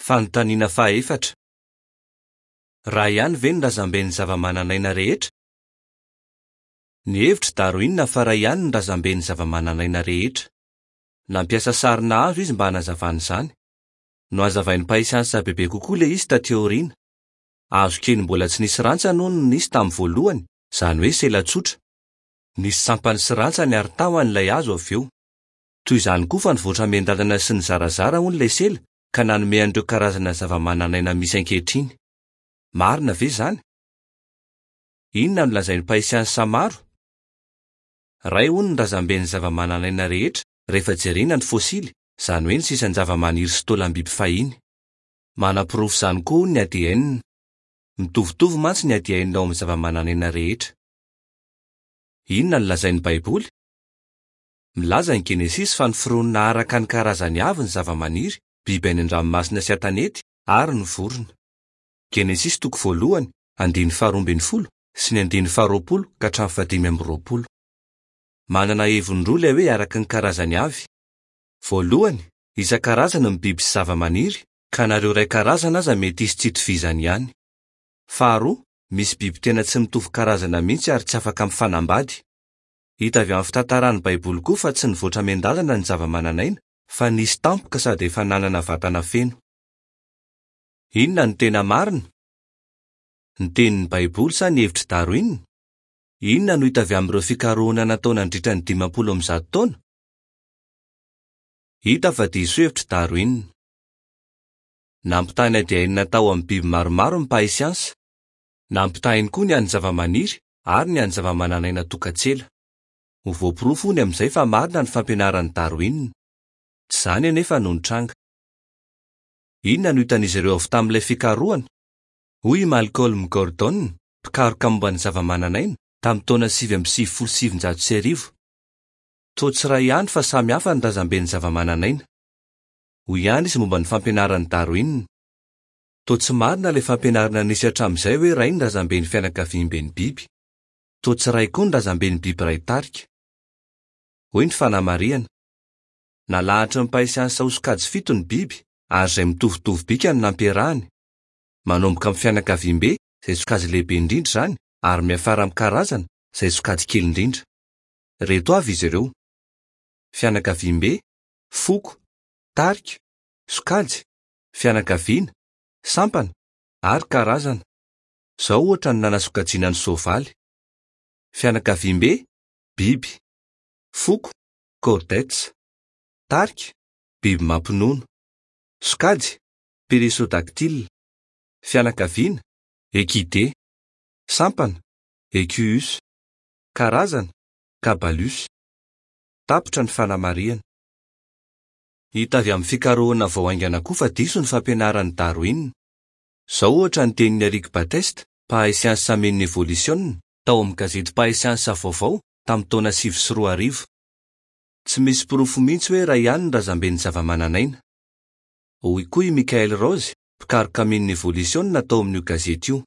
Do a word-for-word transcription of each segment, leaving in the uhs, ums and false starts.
Fanontaniana fahaefatra. Iray ihany ve ny razamben'ny zava-manan'aina rehetra? Nihevitra Darwin fa iray ihany ny razamben'ny zava-manan'aina rehetra. Nampiasa sarina hazo izy mba hanazavana izany. Nohazavain'ny mpahay siansa bebe kokoa ilay izy taty aoriana. Hazo kely mbola tsy nisy rantsany hono no nisy tamin'ny voalohany, izany hoe sela tsotra. Nisy sampany sy rantsany ary tahony ilay hazo avy eo. Toy izany koa fa nivoatra miandalana sy nizarazara hono ilay sela ka nanome an'ireo karazana zava-manan'aina misy ankehitriny. Marina ve izany? Inona no lazain'ny mpahay siansa maro? Iray hono ny razamben'ny zava-manan'aina rehetra rehefa jerena ny fôsily, izany hoe ny sisan-java-maniry sy taolam-biby fahiny. Manaporofo izany koa hono ny A D N. Mitovitovy mantsy ny A D N ao amin'ny zava-manan'aina rehetra. Inona no lazain'ny Baiboly? Milaza ny Genesisy fa noforonina araka ny karazany avy ny zava-maniry, biby any an-dranomasina sy an-tanety ary ny vorona. Genesisy toko voalohany, andininy faharoa ambin'ny folo sy ny andininy faharoapolo ka hatramin'ny fahadimy amby roapolo. Manana heviny roa ilay hoe araka ny karazany avy. Voalohany, isan-karazany ny biby sy zava-maniry, ka nareo iray karazana aza mety hisy tsy itovizany ihany. Faharoa, misy biby tena tsy mitovy karazana mihitsy ary tsy afaka mifanambady. Hita avy amin'ny fitantaran'ny Baiboly koa fa tsy nivoatra miandalana ny zava-manan'aina, fa nisy tampoka sady efa nanana vatana feno. Inona no tena marina? Ny tenin'ny Baiboly sa ny hevitr'i Darwin? Inona no hita avy amin'ireo fikarohana natao nandritra ny dimampolo amby zato taona? Hita fa diso hevitr'i Darwin. Nampitaha ny A D N tao amin'ny biby maromaro ny mpahay siansa. Nampitahiny koa ny an'ny zava-maniry ary ny an'ny zava-manan'aina tokan-tsela. Ho voaporofo hono amin'izay fa marina ny fampianaran'i Darwin. Tsy izany anefa no nitranga. Inona no hitan'izy ireo avy tamin'ilay fikarohana? Hoy i Malcolm Gordon, mpikaroka momba ny zava-manan'aina, tamin'ny taona sivy amby sivifolo sy sivinjato sy arivo. Toa tsy iray ihany fa samy hafa ny razamben'ny zava-manan'aina. Hoy ihany izy momba ny fampianaran'i Darwin. Toa tsy marina ilay fampianarana nisy hatramin'izay hoe iray ny razamben'ny fianakaviamben'ny biby. Toa tsy iray koa ny razamben'ny biby iray tarika. Hoy ny fanamarihana. Nalahatry ny mpahay siansa ho sokajy fito ny biby ary izay mitovitovy bika no nampiarahany. Manomboka amin'ny fianakaviambe, izay sokajy lehibe indrindra izany, ary miafara amin'ny karazana, izay sokajy kely indrindra. Reto avy izy ireo: fianakaviambe, foko, tarika, sokajy, fianakaviana, sampana ary karazana. Izao ohatra no nanasokajiana ny soavaly: fianakaviambe, biby, foko, chordates, tarika, biby mampinono, sokajy, périssodactyle, fianakaviana, équidé, sampana, Equus, karazana, Cabalus. Tapitra ny fanamarihana. Hita avy amin'ny fikarohana vao haingana koa fa diso ny fampianaran'i Darwin. Izao ohatra ny tenin'i Eric Baptiste, mpahay siansa amin'ny evolisiona, tao amin'ny gazety mpahay siansa vaovao tamin'ny taona sivy sy roa arivo. Tsy misy porofo mihitsy hoe iray ihany ny razamben'ny zava-manan'aina. Hoy koa i Michael Rose, mpikaroka amin'ny evolisiona tao amin'io gazety io.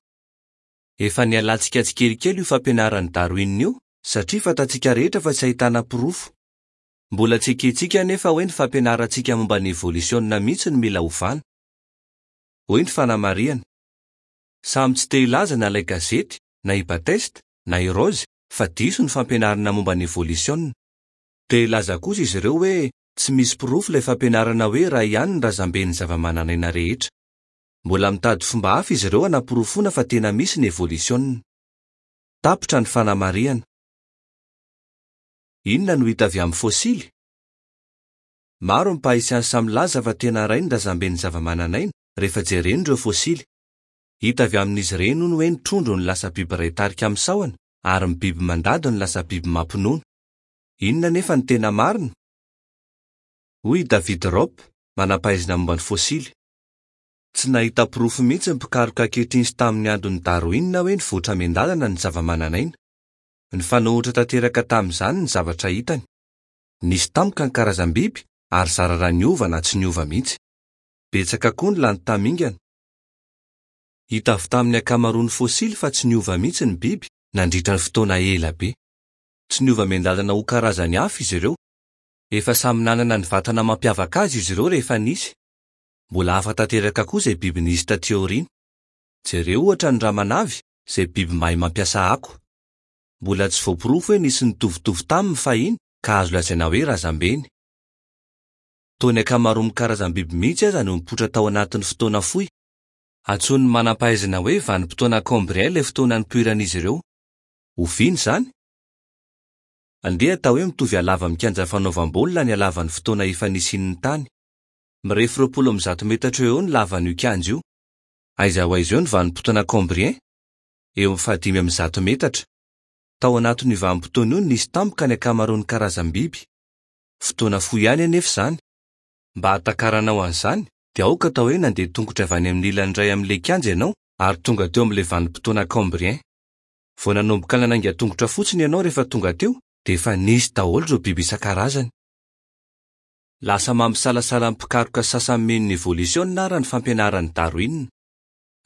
Efa nialantsika tsikelikely io fampianaran'i Darwin io, satria fantatsika rehetra fa tsy ahitana porofo. Mbola tsy ekentsika anefa hoe ny fampianarantsika momba ny evolisiona mihitsy no mila ovana. Hoy ny fanamarihana. Samy tsy te hilaza na ilay gazety, na i Baptiste, na i Rose, fa diso ny fampianarana momba ny evolisiona. Te hilaza kosa izy ireo hoe tsy misy porofo ilay fampianarana hoe iray ihany ny razamben'ny zava-manan'aina rehetra. Mbola mitady fomba hafa izy ireo hanaporofoana fa tena misy ny evolisiona. Tapitra ny fanamarihana. Inona no hita avy amin'ny fôsily? Maro ny mpahay siansa milaza fa tena iray ny razamben'ny zava-manan'aina rehefa jerena ireo fôsily. Hita avy amin'izy ireny hono hoe ny trondro no lasa biby iray tarika amin'ny sahona ary ny biby mandady no lasa biby mampinono. Inona anefa no tena marina? Hoy i David Ropp, manam-pahaizana momba ny fôsily. Tsy nahita porofo mihitsy ny mpikaroka ankehitriny sy tamin'ny andron'i Darwin hoe nivoatra miandalana ny zava-manan'aina. Nifanohitra tanteraka tamin'izany ny zavatra hitany. Nisy tampoka ny karazam-biby ary zara raha niova na tsy niova mihitsy. Betsaka koa ny lany tamingana. Hita avy tamin'ny ankamaroan'ny fôsily fa tsy niova mihitsy ny biby nandritra ny fotoana ela be. Tsy niova miandalana ho karazany hafa izy ireo. Efa samy nanana ny vatana mampiavaka azy izy ireo rehefa nisy. Mbola hafa tanteraka koa izay biby nisy taty aoriana. Jereo ohatra ny ramanavy, izay biby mahay mampiasa ako. Mbola tsy voaporofo hoe nisy nitovitovy taminy fahiny ka azo lazaina hoe razambeny. Toa ny ankamaroan'ny karazam-biby mihitsy aza no nipoitra tao anatin'ny fotoana fohy. Antsoin'ny manam-pahaizana hoe vanim-potoana Cambrien ilay fotoana nipoiran'izy ireo. Oviana izany? Andeha atao hoe mitovy halava amin'ny kianja fanaovam-baolina ny halavan'ny fotoana efa nisian'ny tany. Mirefy roapolo amby zato metatra eo eo ny lavan'io kianja io. Aiza ho aiza eo ny vanim-potoana Cambrien? Eo amin'ny fahadimy amby zato metatra. Tao anatin'io vanim-potoana io no nisy tampoka ny ankamaroan'ny karazam-biby. Fotoana fohy ihany anefa izany. Mba hahatakaranao an'izany, dia aoka atao hoe nandeha tongotra avy any amin'ny ilany iray amin'ilay kianja ianao ary tonga teo amin'ilay vanim-potoana Cambrien. Vao nanomboka nanainga tongotra fotsiny ianao rehefa tonga teo, dia efa nisy daholo ireo biby isan-karazany. Lasa mampisalasala ny mpikaroka sasany mino ny evolisiona ary ny fampianaran'i Darwin.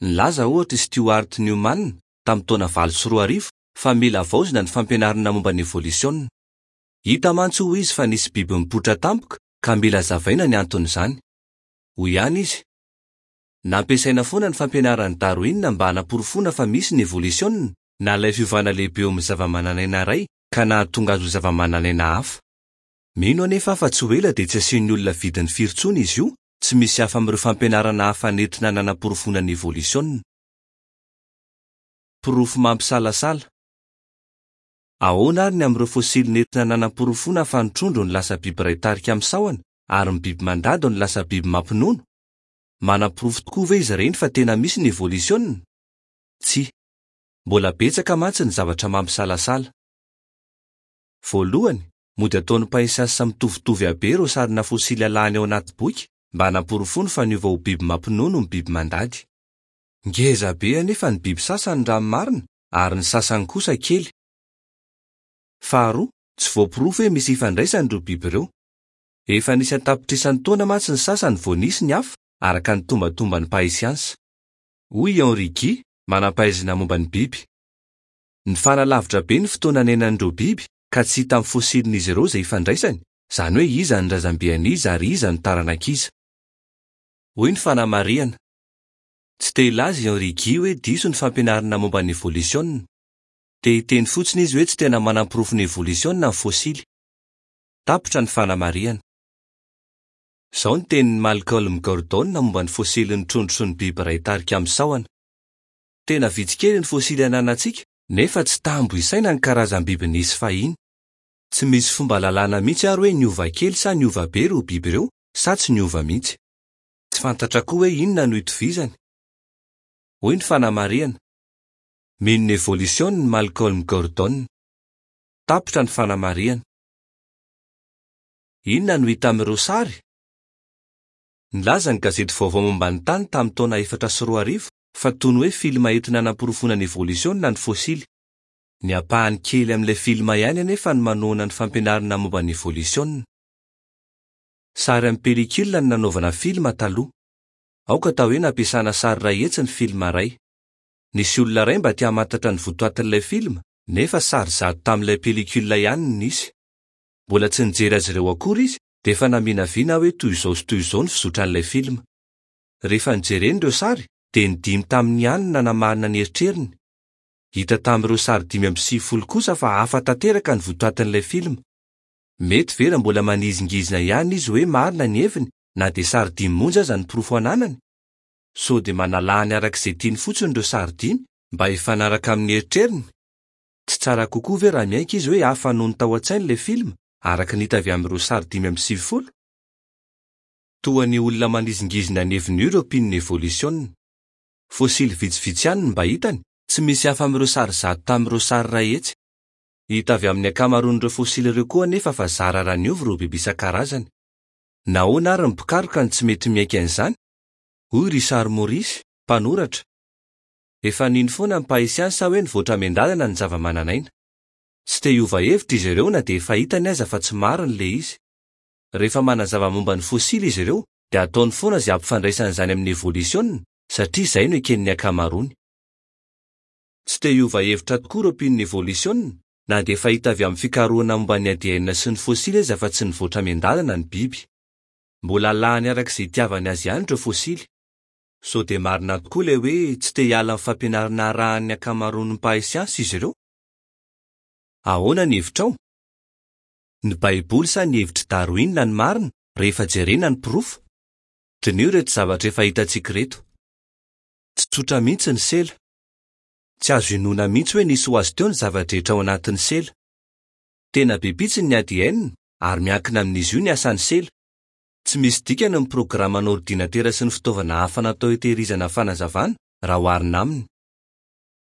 Nilaza ohatra i Stuart Newman tamin'ny taona valo sy roa arivo fa mila havaozina ny fampianarana momba ny evolisiona. Hita mantsy hoy izy fa nisy biby nipoitra tampoka ka mila hazavaina ny anton'izany. Hoy ihany izy: nampiasaina foana ny fampianaran'i Darwin mba hanaporofoana fa misy ny evolisiona, na ilay fiovana lehibe eo amin'ny zava-manan'aina iray ka nahatonga azy ho zava-manan'aina hafa. Mino anefa fa tsy ho ela dia tsy asian'ny olona vidiny firy intsony izy io, tsy misy hafa amin'ireo fampianarana hafa nentina nanaporofoana ny evolisiona. Porofo mampisalasala. Ahoana ary ny amin'ireo fôsily nentina nanaporofoana fa ny trondro no lasa biby iray tarika amin'ny sahona ary ny biby mandady no lasa biby mampinono? Manaporofo tokoa ve izy ireny fa tena misy ny evolisiona? Tsia. Mbola betsaka mantsy ny zavatra mampisalasala. Voalohany, mody ataon'ny mpahay siansa mitovitovy habe ireo sarina fôsily alahany ao anaty boky mba hanaporofoany fa niova ho biby mampinono ny biby mandady. Ngeza be anefa ny biby sasany raha ny marina ary ny sasany kosa kely. Faharoa, tsy voaporofo hoe misy ifandraisany ireo biby ireo. Efa nisy an-tapitrisany taona mantsy ny sasany vao nisy ny hafa araka ny tombatomban'ny mpahay siansa. Hoy i Henri Guy, manam-pahaizana momba ny biby. Nifanalavitra be ny fotoana niainan'ireo biby ka tsy hita amin'ny fôsilin'izy ireo izay ifandraisany, izany hoe iza ny razambean'iza ary iza ny taranak'iza. Hoy ny fanamarihana. Tsy te hilaza i Henri Guy hoe diso ny fampianarana momba ny evolisiona. Te hiteny fotsiny izy hoe tsy tena manam-porofo ny evolisiona ny fôsily. Tapitra ny fanamarihana. Izao ny tenin'i Malcolm Gordon momba ny fôsilin'ny trondro sy ny biby iray tarika amin'ny sahona. Tena vitsy kely ny fôsily ananantsika, nefa tsy tambo isaina ny karazam-biby nisy fahiny. Tsy misy fomba lalàna mihitsy ary hoe niova kely sa niova be ireo biby ireo sa tsy niova mihitsy. Tsy fantatra koa hoe inona no itovizany. Hoy ny fanamarihana. Mino ny evolisiona ny Malcolm Gordon. Tapitra ny fanamarihana. Inona no hita amin'ireo sary? Nilaza ny gazety vaovao momba ny tany tamin'ny taona efatra sy roa arivo fa toy ny hoe filma entina nanaporofoana ny evolisiona ny fôsily. Ny ampahany kely amin'ilay filma ihany anefa no manohana ny fampianarana momba ny evolisiona. Sary amin'ny pelikila no nanaovana filma taloha. Aoka atao hoe nampiasana sary iray hetsy ny filma iray. Nisy olona iray mba te hamantatra ny votoatin'ilay filma, nefa sary zato tamin'ilay pelikila ihany no nisy. Mbola tsy nijery azy ireo akory izy, dia efa naminavina hoe toy izao sy toy izao ny fizotran'ilay filma. Rehefa nijereny ireo sary, dia ny dimy tamin'ny ihany no nanamarina ny eritreriny. Hita tamin'ireo sary dimy amby sivifolo kosa fa hafa tanteraka ny votoatin'ilay filma. Mety ve raha mbola manizingizina ihany izy hoe marina ny heviny na dia sary dimy monja aza ny porofo ananany? Sao dia manalahany araka izay tiany fotsiny ireo sary dimy mba hifanaraka amin'ny eritreriny? Tsy tsara kokoa ve raha miaiky izy hoe hafa noho ny tao an-tsainy ilay filma araka ny hita avy amin'ireo sary dimy amby sivifolo? Toa ny olona manizingizina ny heviny io ireo mpino ny evolisiona. Fôsily vitsivitsy ihany no mba hitany, tsy misy hafa amin'ireo sary zato tamin'ireo sary iray hetsy. Hita avy amin'ny ankamaroan'ireo fôsily ireo koa anefa fa zara raha niova ireo biby isan-karazany. Nahoana ary ny mpikaroka no tsy mety miaiky an'izany? Hoy Richard Maurice, mpanoratra. Efa nino foana ny mpahay siansa hoe nivoatra miandalana ny zava-manan'aina. Tsy te hiova hevitra izy ireo na dia efa hitany aza fa tsy marina ilay izy. Rehefa manazava momba ny fôsily izy ireo, dia ataony foana izay hampifandraisana izany amin'ny evolisiona, satria izay no eken'ny ankamaroany. Tsy te hiova hevitra tokoa ireo mpino ny evolisiona, na dia efa hita avy amin'ny fikarohana momba ny A D N sy ny fôsily aza fa tsy nivoatra miandalana ny biby. Mbola alahany araka izay itiavany azy ihany ireo fôsily. Sao dia marina tokoa ilay hoe tsy te hiala amin'ny fampianarana arahan'ny ankamaroan'ny mpahay siansa izy ireo? Ahoana ny hevitrao? Ny Baiboly sa ny hevitr'i Darwin no marina rehefa jerena ny porofo? Diniho ireto zavatra efa hitantsika ireto. Tsy tsotra mihitsy ny sela. Tsy azo inoana mihitsy hoe nisy ho azy teo ny zava-drehetra ao anatin'ny sela. Tena be pitsiny ny A D N ary miankina amin'izy io ny asan'ny sela. Tsy misy dikany ny programan'ordinatera sy ny fitaovana hafa natao hitehirizana fanazavana raha oharina aminy.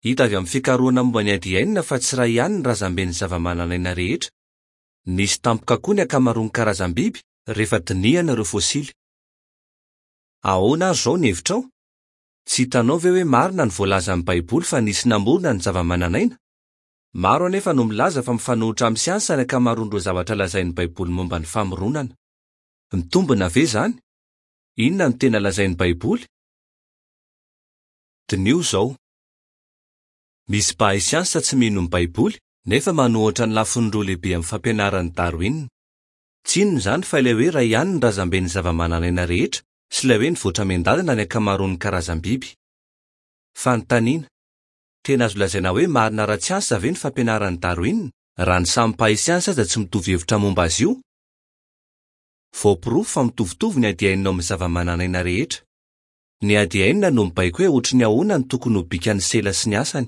Hita avy amin'ny fikarohana momba ny A D N fa tsy iray ihany ny razamben'ny zava-mananaina rehetra. Nisy tampoka koa ny ankamaroan'ny karazam-biby rehefa dinihana ireo fôsily. Ahoana ary izao ny hevitrao? Tsy hitanao ve hoe marina ny voalazan'ny Baiboly fa nisy namorona ny zava-mananaina? Maro anefa no milaza fa mifanohitra amin'ny siansa ny ankamaroan'ireo zavatra lazain'ny Baiboly momba ny famoronana. Mitombina ve izany? Inona no tena lazain'ny Baiboly? Diniho izao. Misy mpahay siansa tsy mino ny Baiboly nefa manohitra ny lafiny roa lehibe amin'ny fampianaran'i Darwin. Tsy inona izany fa ilay hoe iray ihany ny razamben'ny zava-mananaina rehetra sy ilay hoe nivoatra miandalana ny ankamaroan'ny karazam-biby. Fanontaniana. Tena azo lazaina hoe marina ara-tsiansa ve ny fampianaran'i Darwin raha ny samy mpahay siansa aza tsy mitovy hevitra momba azy io? Voaporofo fa mitovitovy ny A D N ao amin'ny zava-mananaina rehetra. Ny A D N no mibaiko hoe ohatry ny ahoana no tokony ho bikan'ny sela sy ny asany.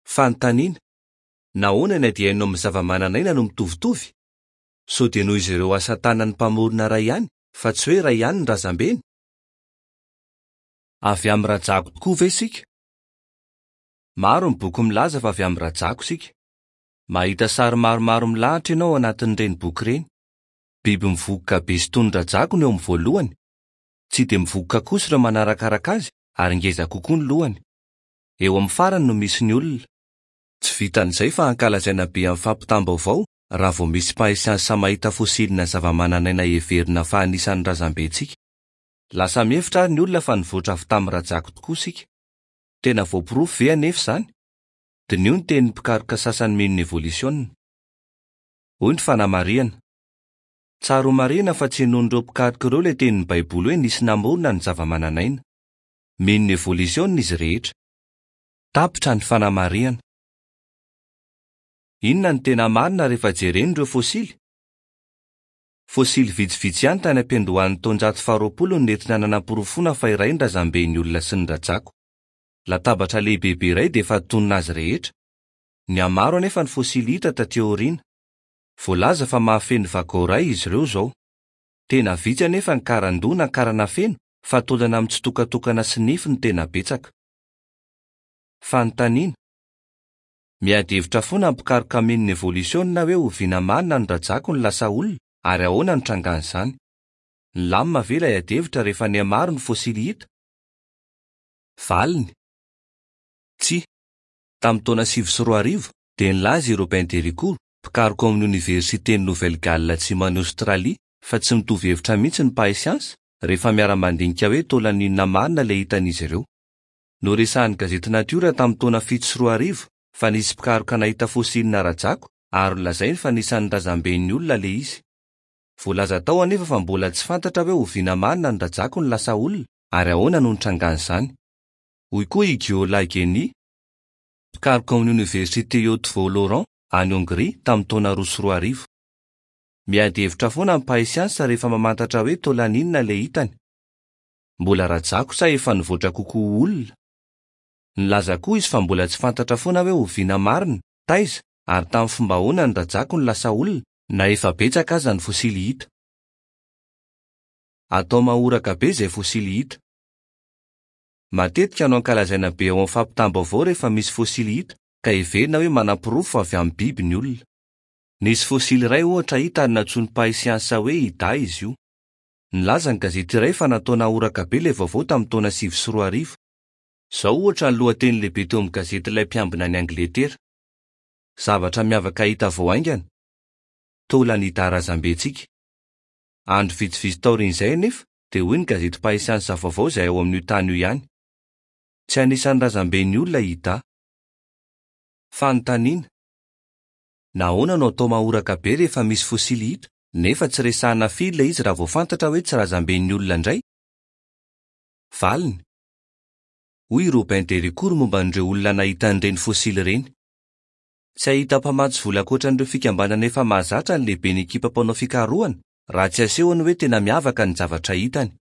Fanontaniana. Nahoana ny A D N ao amin'ny zava-mananaina no mitovitovy? Sao dia noho izy ireo asa tanan'ny mpamorona iray ihany fa tsy hoe iray ihany ny razambeny? Avy amin'ny rajako tokoa ve isika? Maro ny boky milaza fa avy amin'ny rajako isika. Mahita sary maromaro milahatra ianao ao anatin'ireny boky ireny. Biby mivokoka be sy toy ny rajako no eo amin'ny voalohany. Tsy dia mivokoka kosa ireo manarakaraka azy ary ngeza kokoa ny lohany. Eo amin'ny farany no misy ny olona. Tsy vitan'izay fa ankalazaina be amin'ny fampitam-baovao raha vao misy mpahay siansa mahita fôsilina zava-mananaina heverina fa anisan'ny razambentsika. Lasa mihevitra ary ny olona fa nivoatra avy tamin'ny rajako tokoa isika. Tena voaporofo ve anefa izany? Diniho ny tenin'ny mpikaroka sasany mino ny evolisiona. Hoy ny fanamarihana. Tsara ho marihina fa tsy henoin'ireo mpikaroka ireo ilay tenin'ny Baiboly hoe nisy namorona ny zava-mananaina. Mino ny evolisiona izy rehetra. Tapitra ny fanamarihana. Inona no tena marina rehefa jerena ireo fôsily? Fôsily vitsivitsy ihany tany am-piandohan'ny taonjato faharoapolo no nentina nanaporofoana fa iray ny razamben'ny olona sy ny rajako. Latabatra lehibebe iray dia efa tonona azy rehetra. Nihamaro anefa ny fôsily hita taty aoriana. Voalaza fa mahafeno vagao iray izy ireo izao. Tena vitsy anefa ny karandoha na karana feno fa taolana amin'ny tsitokatokana sy nify no tena betsaka. Fanontaniana. Miady hevitra foana ny mpikaroka mino ny evolisiona hoe oviana marina ny rajako no lasa olona ary ahoana no trangan'izany. Nilamina ve ilay ady hevitra rehefa nihamaro ny fôsily hita? Valiny. Tsia. Tamin'ny taona sivy sy roa arivo dia nilaza i Robin Déricourt, mpikaroka ao amin'ny oniversiten'i Nouvelle-Galles atsimon'i Aostralia, fa tsy mitovy hevitra mihitsy ny mpahay siansa rehefa miara-mandinika hoe taolana inona marina ilay hitan'izy ireo. Noresahan'ny gazety Natiora tamin'ny taona fito sy roa arivo fa nisy mpikaroka nahita fôsilina rajako ary nolazainy fa anisan'ny razamben'ny olona ilay izy. Voalaza tao anefa fa mbola tsy fantatra hoe oviana marina ny rajako no lasa olona ary ahoana no nitrangan'izany. Hoy koa i Gyula Geny, mpikaroka ao amin'ny oniversite Eötvös-Loránd any Hongria tamin'ny taona roa sy roa arivo. Miady hevitra foana ny mpahay siansa rehefa mamantatra hoe taolana inona ilay hitany. Mbola rajako sa efa nivoatra kokoa ho olona? Nilaza koa izy fa mbola tsy fantatra foana hoe oviana marina, taiza ary tamin'ny fomba ahoana ny rajako no lasa olona na efa betsaka aza ny fôsily hita. Atao mahoraka be izay fôsily hita. Matetika no ankalazaina be ao amin'ny fampitam-baovao rehefa misy fôsily hita ka heverina hoe manaporofo avy amin'ny biby ny olona. Nisy fôsily iray ohatra hita ary nantsoin'ny mpahay siansa hoe Ida izy io. Nilaza ny gazety iray fa natao nahoraka be ilay vaovao tamin'ny taona sivy sy roa arivo. Izao ohatra ny lohateny lehibe teo amin'ny gazety ilay mpiambina any Angletera. Zavatra miavaka hita vao haingana. Taolana Ida razambentsika. Andro vitsivitsy taorian'izay anefa dia hoy ny gazety mpahay siansa vaovao izay ao amin'io tany io ihany. Tsy anisan'ny razamben'ny olona Ida. Fanontaniana. Nahoana no atao mahoraka be rehefa misy fôsily hita? nefa tsy resahana firy ilay izy raha vao fantatra hoe tsy razamben'ny olona indray? Valiny. Hoy i Robin Déricourt momba an'ireo olona nahita an'ireny fôsily ireny. Tsy hahita mpamatsy vola ankoatran'ireo fikambanana efa mahazatra ny lehiben'ny ekipa mpanao fikarohana raha tsy asehony hoe tena miavaka ny zavatra hitany.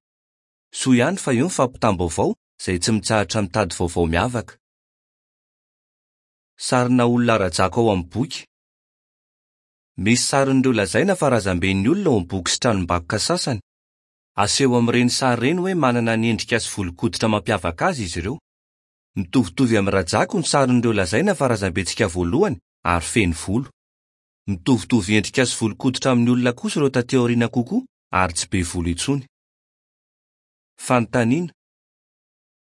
Soa ihany fa io ny fampitam-baovao izay tsy mitsahatra mitady vaovao miavaka. Sarina olona rajako ao amin'ny boky. Misy sarin'ireo lazaina fa razamben'ny olona ao amin'ny boky sy tranombakoka sasany. Aseho amin'ireny sary ireny hoe manana ny endrika sy volon-koditra mampiavaka azy izy ireo. Mitovitovy amin'ny rajako ny sarin'ireo lazaina fa razambentsika voalohany ary feno volo. Mitovitovy endrika sy volon-koditra amin'ny olona kosa ireo taty aoriana kokoa ary tsy be volo intsony. Fanontaniana.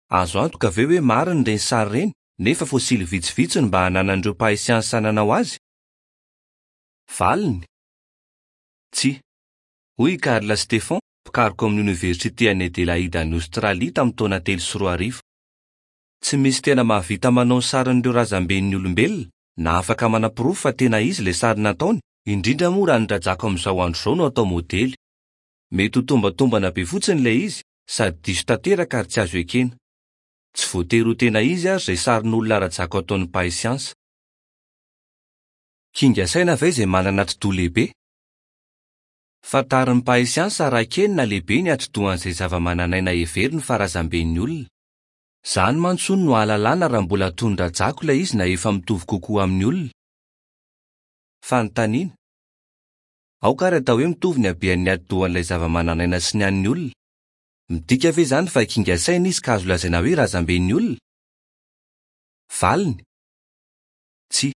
Azo antoka ve hoe marina ireny sary ireny nefa fôsily vitsivitsy no mba hananan'ireo mpahay siansa nanao azy? Valiny. Tsia. Hoy i Karl Stefan, mpikaroka amin'ny oniversite any Adelaide any Aostralia tamin'ny taona telo sy roa arivo. Tsy misy tena mahavita manao ny sarin'ireo razamben'ny olombelona na afaka manaporofo fa tena izy ilay sary nataony, indrindra moa raha ny rajako amin'izao andro izao no atao modely. Mety ho tombatombana be fotsiny ilay izy sady diso tanteraka ary tsy azo ekena. Tsy voatery ho tena izy ary izay sarin'olona rajako ataon'ny mpahay siansa. Kinga saina ve izay manana atidoha lehibe? Fantarin'ny mpahay siansa raha kely na lehibe ny atidohan'izay zava-mananaina heveriny fa razamben'ny olona. Izany mantsy hono no ahalalana raha mbola toy ny rajako ilay izy na efa mitovy kokoa amin'ny olona. Fanontaniana. Aoka ary atao hoe mitovy ny habean'ny atidohan'ilay zava-mananaina sy ny an'ny olona. Midika ve izany fa kinga saina izy ka azo lazaina hoe razamben'ny olona? Valiny. Tsia.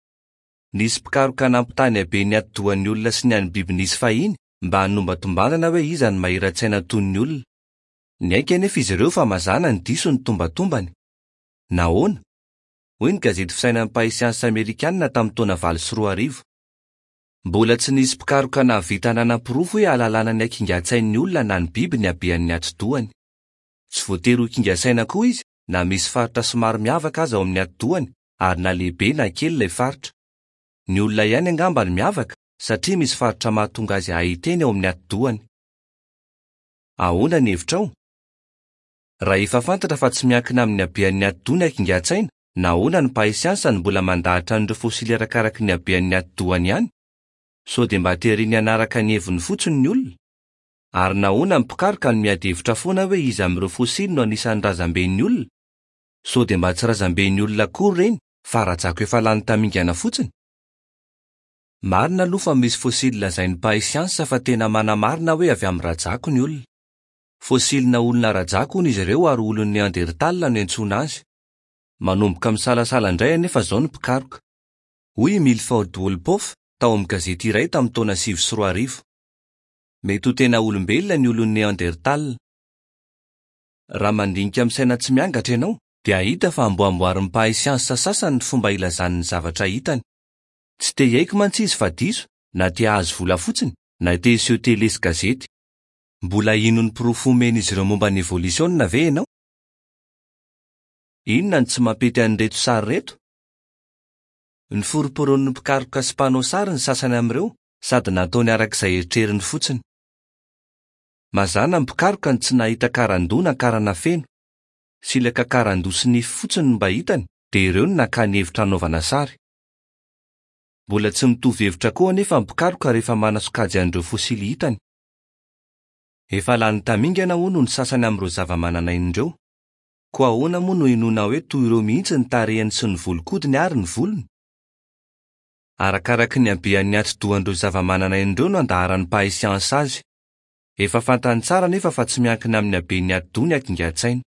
Nisy mpikaroka nampitaha ny haben'ny atidohan'ny olona sy ny an'ny biby nisy fahiny mba hanombatombanana hoe iza no mahira-tsaina toy ny olona. Niaiky anefa izy ireo fa mazàna ny diso ny tombatombany. Nahoana? Hoy ny gazety fisainan'ny mpahay siansa amerikanina tamin'ny taona valo sy roa arivo. Mbola tsy nisy mpikaroka nahavita nanaporofo hoe ahalalana ny hakingan-tsain'ny olona na ny biby ny habean'ny atidohany. Tsy voatery ho kinga saina koa izy na misy faritra somary miavaka aza ao amin'ny atidohany ary na lehibe na kely ilay faritra. Ny olona ihany angamba no miavaka satria misy faritra mahatonga azy hahiteny ao amin'ny atidohany. Ahoana ny hevitrao? Raha efa fantatra fa tsy miankina amin'ny habean'ny atidoha ny hakingan-tsaina, nahoana ny mpahay siansa no mbola mandahatra an'ireo fôsily arakaraky ny habean'ny atidohany ihany? Sao dia mba tereny hanaraka ny heviny fotsiny ny olona? Ary nahoana ny mpikaroka no miady hevitra foana hoe iza amin'ireo fôsily no anisan'ny razamben'ny olona? Sao dia mba tsy razamben'ny olona akory ireny fa rajako efa lany tamingana fotsiny? Marina aloha fa misy fôsily lazain'ny mpahay siansa fa tena manamarina hoe avy amin'ny rajako ny olona. Fôsilina olona rajako hono izy ireo ary olon'ny Neandertal no iantsoana azy. Manomboka misalasala indray anefa izao ny mpikaroka. Hoy i Milford Wolpoff tao amin'ny gazety iray tamin'ny taona sivy sy roa arivo. Mety ho tena olombelona ny olon'ny Neandertal. Raha mandinika amin'ny saina tsy miangatra ianao, dia hahita fa amboamboarin'ny mpahay siansa sasany ny fomba ilazany ny zavatra hitany. Tsy te hiaiky mantsy izy fa diso, na te hahazo vola fotsiny, na te hiseho tele sy gazety. Mbola hino ny porofo omen'izy ireo momba ny evolisiona ve ianao? Inona no tsy mampety an'ireto sary ireto? Ny foromporon'ny mpikaroka sy mpanao sary ny sasany amin'ireo sady nataony araka izay eritreriny fotsiny. Mazàna ny mpikaroka no tsy nahita karandoha na karana feno. Silaka karandoha sy nify fotsiny no mba hitany, dia ireo no nakany hevitra hanaovana sary. Mbola tsy mitovy hevitra koa anefa ny mpikaroka rehefa manasokajy an'ireo fôsily hitany. Efa lany tamingana hono ny sasany amin'ireo zava-mananaina ireo. Koa ahoana moa no inoana hoe toy ireo mihitsy ny tarehiny sy ny volon-kodiny ary ny volony? Arakaraky ny habean'ny atidohan'ireo zava-mananaina ireo no andaharan'ny mpahay siansa azy. Efa fantany tsara anefa fa tsy miankina amin'ny haben'ny atidoha ny hakingan-tsaina.